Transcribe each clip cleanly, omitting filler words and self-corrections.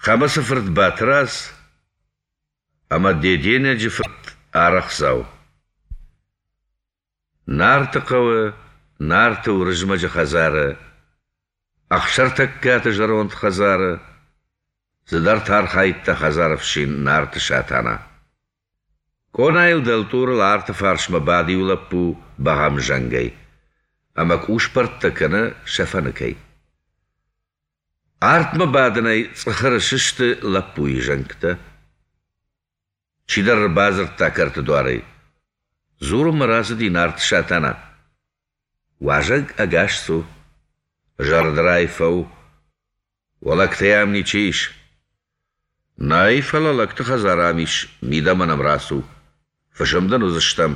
Хӕмыцы фырт Батырадз ӕмӕ Деденӕджы фырт Арӕхдзау. Нарты хъӕуы Нарты Уырызмӕджы хӕдзары, Ӕхсӕртӕггаты зӕронд хӕдзары, цыдӕртӕ архайдта хӕдзары фсин Нарты Сатана. Къонайыл дӕлтъурыл арты фарсмӕ бады иу лӕппу бӕгъӕмзӕнгӕй ӕмӕ къусбӕрттӕ кӕны сӕ фӕныкӕй. Артмӕ бадынӕй цъыхыры сысты лӕппуйы зӕнгтӕ. Чидӕр ӕрбадзырдта кӕрты дуарӕй. Дзурынмӕ рацыди Нарты Сатана. Уазӕг ӕгас цу. Зӕрдырай фӕу. Уӕ лӕгтӕй ам ничи ис? Нӕй, фӕлӕ лӕгты хӕдзар ам ис, мидӕмӕ нӕм рацу. Фысым дын уыдзыстӕм.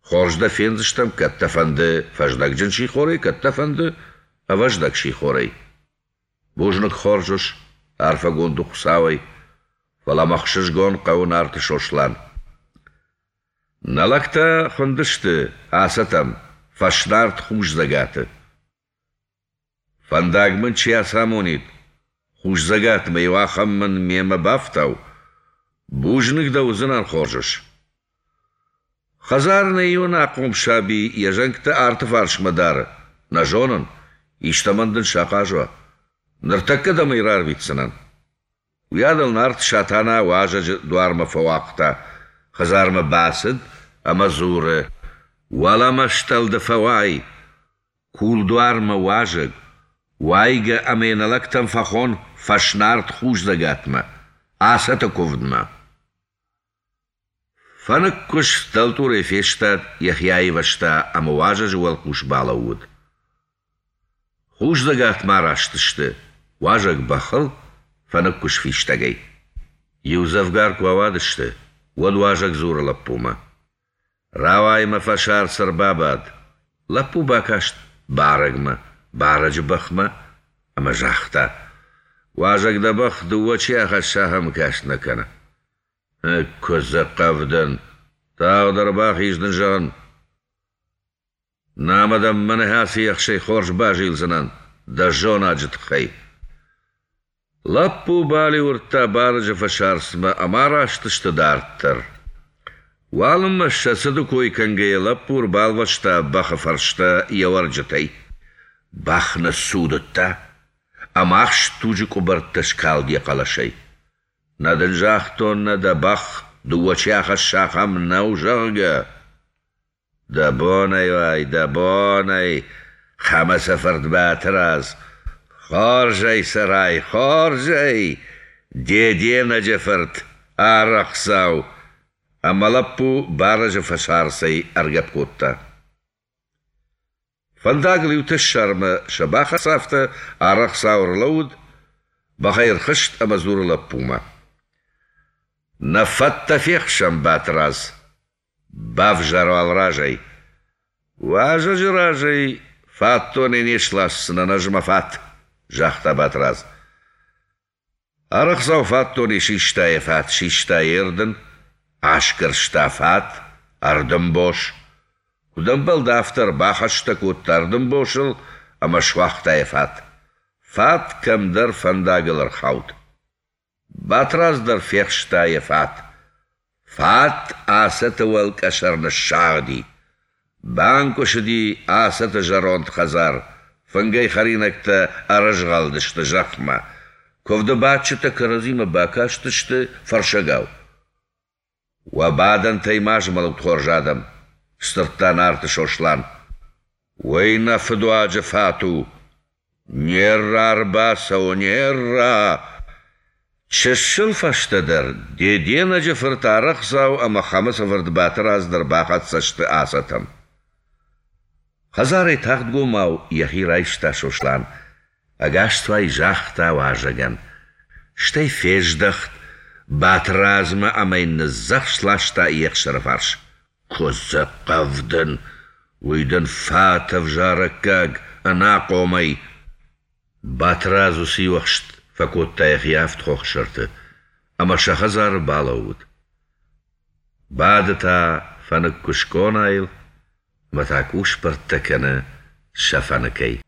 Хорз дӕ фендзыстӕм, кӕд дӕ фӕнды фӕздӕгджын сихорӕй, кӕд дӕ фӕнды ӕвӕздӕг сихорӕй. Бузныг, хорз ус, арфӕгонд у Хуыцауӕй, фӕлӕ мӕ ӕхсызгон хъӕуы Нарты Сослан. Нӕ лӕгтӕ хуындысты Ацӕтӕм, Фӕснарт Хусдзӕгаты. Фӕндаг мын чи ацамонид, Хусдзӕгатмӕ иу ахӕм мын мемӕ бафтау, бузныг дӕ уыдзынӕн, хорз ус. Хӕдзары нӕ иу ӕнахъом саби йӕ зӕнгтӕ арты фарсмӕ дары, нӕ зонын, истӕмӕн дын сахъаз уа. Ныртӕккӕ дӕм ӕй рарвитдзынӕн. Уыйадыл Нарт Сатана уазӕджы дуармӕ фӕуагъта, хӕдзармӕ бацыд ӕмӕ дзуры: «Уӕлӕмӕ стӕлды фӕуай, кулдуармӕ уазӕг, уайгӕ ӕмӕ йӕ нӕ лӕгтӕм фӕхон Фӕснарт Хусдзӕгатмӕ, Ацӕты куывдмӕ». Фӕныкгуыз дӕлтъурӕй фестад, йӕхи аивӕзта ӕмӕ уазӕджы уӕлхъус балӕууыд. Хусдзӕгатмӕ араст сты, уазӕг бӕхыл, фӕныкгуыз фистӕгӕй. Иудзӕвгар куы ауадысты, уӕд уазӕг дзуры лӕппумӕ: «Рауай мӕ фӕсарц ӕрбабад». Лӕппу бакаст барӕгмӕ, барӕджы бӕхмӕ ӕмӕ загъта: «Уазӕг дӕ бӕх дыууӕ чи ахӕсса, ахӕм каст нӕ кӕны. Куыдзы хъӕвдын! Тагъд ӕрбахиз дын зӕгъын! Намӕ дӕм мӕнӕ ацы ехсӕй хорз базилдзынӕн дӕ зонаджы тыххӕй. Лӕппу балиуырдта барӕджы фӕсарцмӕ ӕмӕ араст сты дарддӕр. Уалынмӕ сӕ цыды кой кӕнгӕйӕ лӕппу ӕрбалвӕста бӕхы фӕрстӕ йӕ уӕрджытӕй. Бӕх ныццудыдта, ӕмӕ ахст туджы къуыбӕрттӕ скалд йӕ хъӕлӕсӕй. Нӕ дын загътон, нӕ дӕ бӕх дыууӕ чи ахӕсса, ахӕм нӕу, зӕгъгӕ? Дӕ бонӕй уай, дӕ бонӕй, Хӕмыцы фырт Батырадз! Хорзӕй цӕрай, хорзӕй, Деденӕджы фырт, Арӕхдзау! Ӕмӕ лӕппу барӕджы фӕсарцӕй ӕргӕпп кодта. Фӕндагыл иу тӕссармӕ сӕ бахӕцафтӕ, Арӕхдзау ӕрлӕууыд, бӕхӕй ӕрхызт ӕмӕ дзуры лӕппумӕ: «Нӕ фӕттӕ фехсӕм, Батырадз, бавзар уал разӕй. Уазӕджы разӕй фатдонӕй не сласдзынӕн ӕз мӕ фат», — загъта Батырадз. Арӕхдзау фатдонӕй систа йӕ фат, систа йе рдын, асгӕрста фат, ӕрдынбос. Куыд ӕмбӕлд, афтӕ ӕрбахӕстӕ кодта ӕрдынбосыл ӕмӕ суагъта йӕ фат. Фат кӕмдӕр фӕндагыл ӕрхауд. Батрадз дӕр фехста йӕ фат. Фат Ацӕты уӕлкъӕсӕр ныссагъди. Банкъуысыди Ацӕты зӕронд хӕдзар, фынгӕй хӕринӕгтӕ ӕрызгъӕлдысты зӕхмӕ. Куывды бадджытӕ кӕрӕдзимӕ бакастысты фӕрсӕгау. «Уӕ бадӕнтӕй ма змӕлут, хорз адӕм!» — сдзырдта Нарты Сослан. «Уый нӕ фыдуаджы фат у! Не рра ӕрбацӕуы, не рра!» Чысыл фӕстӕдӕр Деденӕджы фырт Арӕхдзау ӕмӕ Хӕмыцы фырт Батырадз дӕр бахӕццӕ сты Ацӕтӕм. Хӕдзарӕй тагъдгомау йӕхи райста Сослан, ӕгасцуай загъта уазӕгӕн, стӕй фездӕхт Батырадзмӕ ӕмӕ йын ныдздзӕхст ласта йе хсӕрфарс. Куыдзы хъӕвдын, уый дын фат ӕвзарӕггаг ӕнахъомӕй! Батырадз уыцы иуӕхст фӕкодта йӕхи авд хохы сӕрты ӕмӕ сӕ хӕдзары балӕууыд. Бады та фӕныкгуыз къонайыл ӕмӕ та къусбӕрттӕ кӕны сӕ фӕныкӕй.